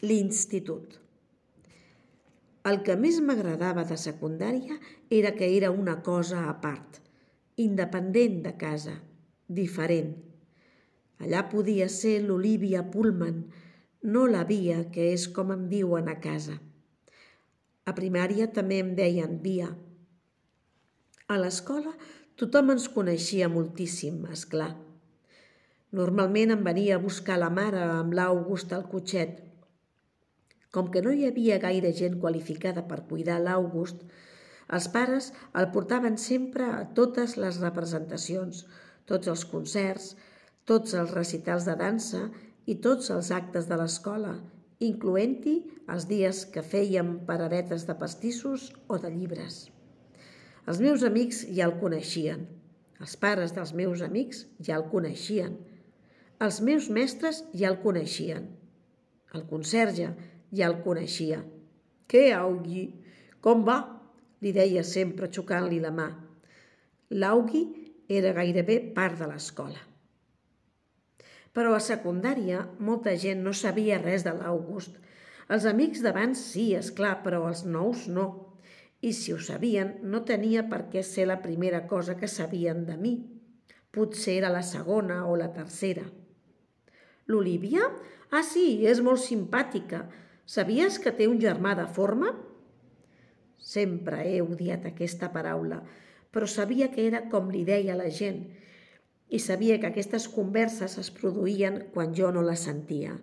l'institut. El que més m'agradava de secundària era que era una cosa a part, independent de casa, diferent. Allà podia ser l'Olivia Pullman, no la Via, que és com em diuen a casa. A primària també em deien Via. A l'escola tothom ens coneixia moltíssim, esclar. Normalment em venia a buscar la mare amb l'August al cotxet. Com que no hi havia gaire gent qualificada per cuidar l'August, els pares el portaven sempre a totes les representacions, tots els concerts, tots els recitals de dansa i tots els actes de l'escola, incloent-hi els dies que fèiem paradetes de pastissos o de llibres. Els meus amics ja el coneixien, els pares dels meus amics ja el coneixien, els meus mestres ja el coneixien, el conserge ja el coneixia. «Què, Augi? Com va?» li deia sempre xocant-li la mà. L'Augi era gairebé part de l'escola. Però a secundària molta gent no sabia res de l'August. Els amics d'abans sí, esclar, però els nous no. I si ho sabien, no tenia per què ser la primera cosa que sabien de mi. Potser era la segona o la tercera. «L'Olivia? Ah, sí, és molt simpàtica. Sabies que té un germà deforme?» Sempre he odiat aquesta paraula, però sabia que era com li deia la gent i sabia que aquestes converses es produïen quan jo no les sentia,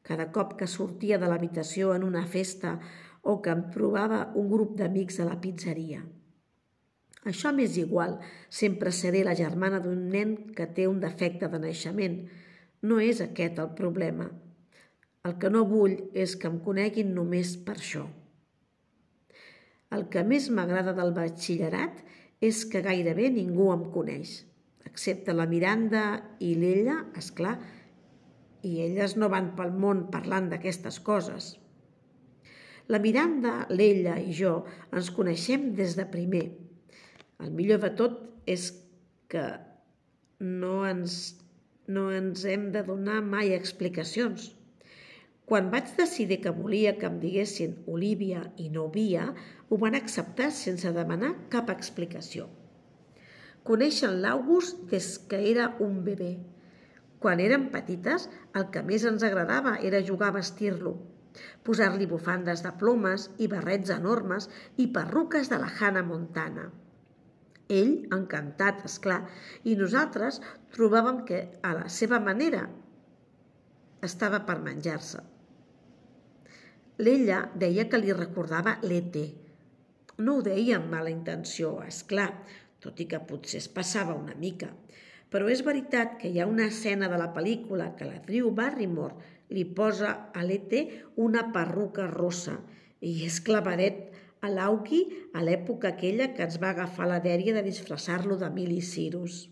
cada cop que sortia de l'habitació en una festa o que em trobava un grup d'amics a la pizzeria. Això m'és igual, sempre seré la germana d'un nen que té un defecte de naixement. No és aquest el problema. El que no vull és que em coneguin només per això. El que més m'agrada del batxillerat és que gairebé ningú em coneix, excepte la Miranda i l'Ella, esclar, i elles no van pel món parlant d'aquestes coses. La Miranda, l'Ella i jo ens coneixem des de primer. El millor de tot és que no ens hem de donar mai explicacions. Quan vaig decidir que volia que em diguessin Olivia i no Via, ho van acceptar sense demanar cap explicació. Coneixen l'August des que era un bebè. Quan érem petites, el que més ens agradava era jugar a vestir-lo, posar-li bufandes de plomes i barrets enormes i perruques de la Hannah Montana. Ell, encantat, esclar, i nosaltres trobàvem que, a la seva manera, estava per menjar-se. L'Ella deia que li recordava l'E.T. No ho deia amb mala intenció, esclar, tot i que potser es passava una mica. Però és veritat que hi ha una escena de la pel·lícula que la Drew Barrymore li posa a l'E.T. una perruca rossa i és clavadet a l'Augi a l'època aquella que ens va agafar la dèria de disfressar-lo de Miley Cyrus.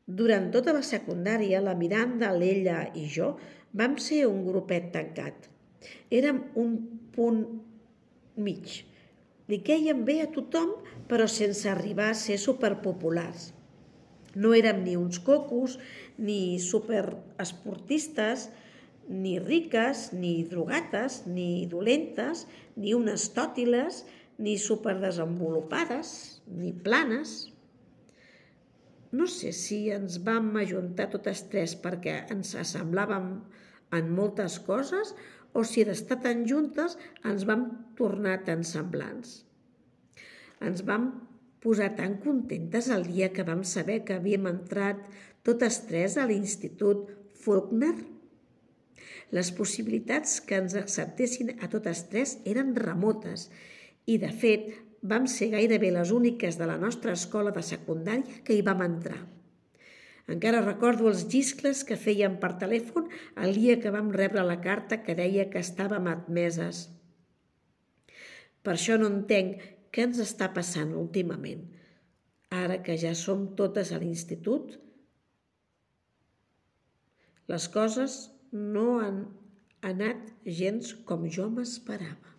Durant tota la secundària, la Miranda, l'Ella i jo vam ser un grupet tancat. Érem un punt mig. Li quèiem bé a tothom, però sense arribar a ser superpopulars. No érem ni uns cocos, ni superesportistes, ni riques, ni drogates, ni dolentes, ni unes tòtiles, ni superdesenvolupades, ni planes. No sé si ens vam ajuntar totes tres perquè ens assemblàvem en moltes coses o si d'estar tan juntes ens vam tornar tan semblants. Ens vam posar tan contentes el dia que vam saber que havíem entrat totes tres a l'Institut Faulkner. Les possibilitats que ens acceptessin a totes tres eren remotes i, de fet, vam ser gairebé les úniques de la nostra escola de secundària que hi vam entrar. Encara recordo els lliscles que fèiem per telèfon el dia que vam rebre la carta que deia que estàvem admeses. Per això no entenc què ens està passant últimament. Ara que ja som totes a l'institut, les coses no han anat gens com jo m'esperava.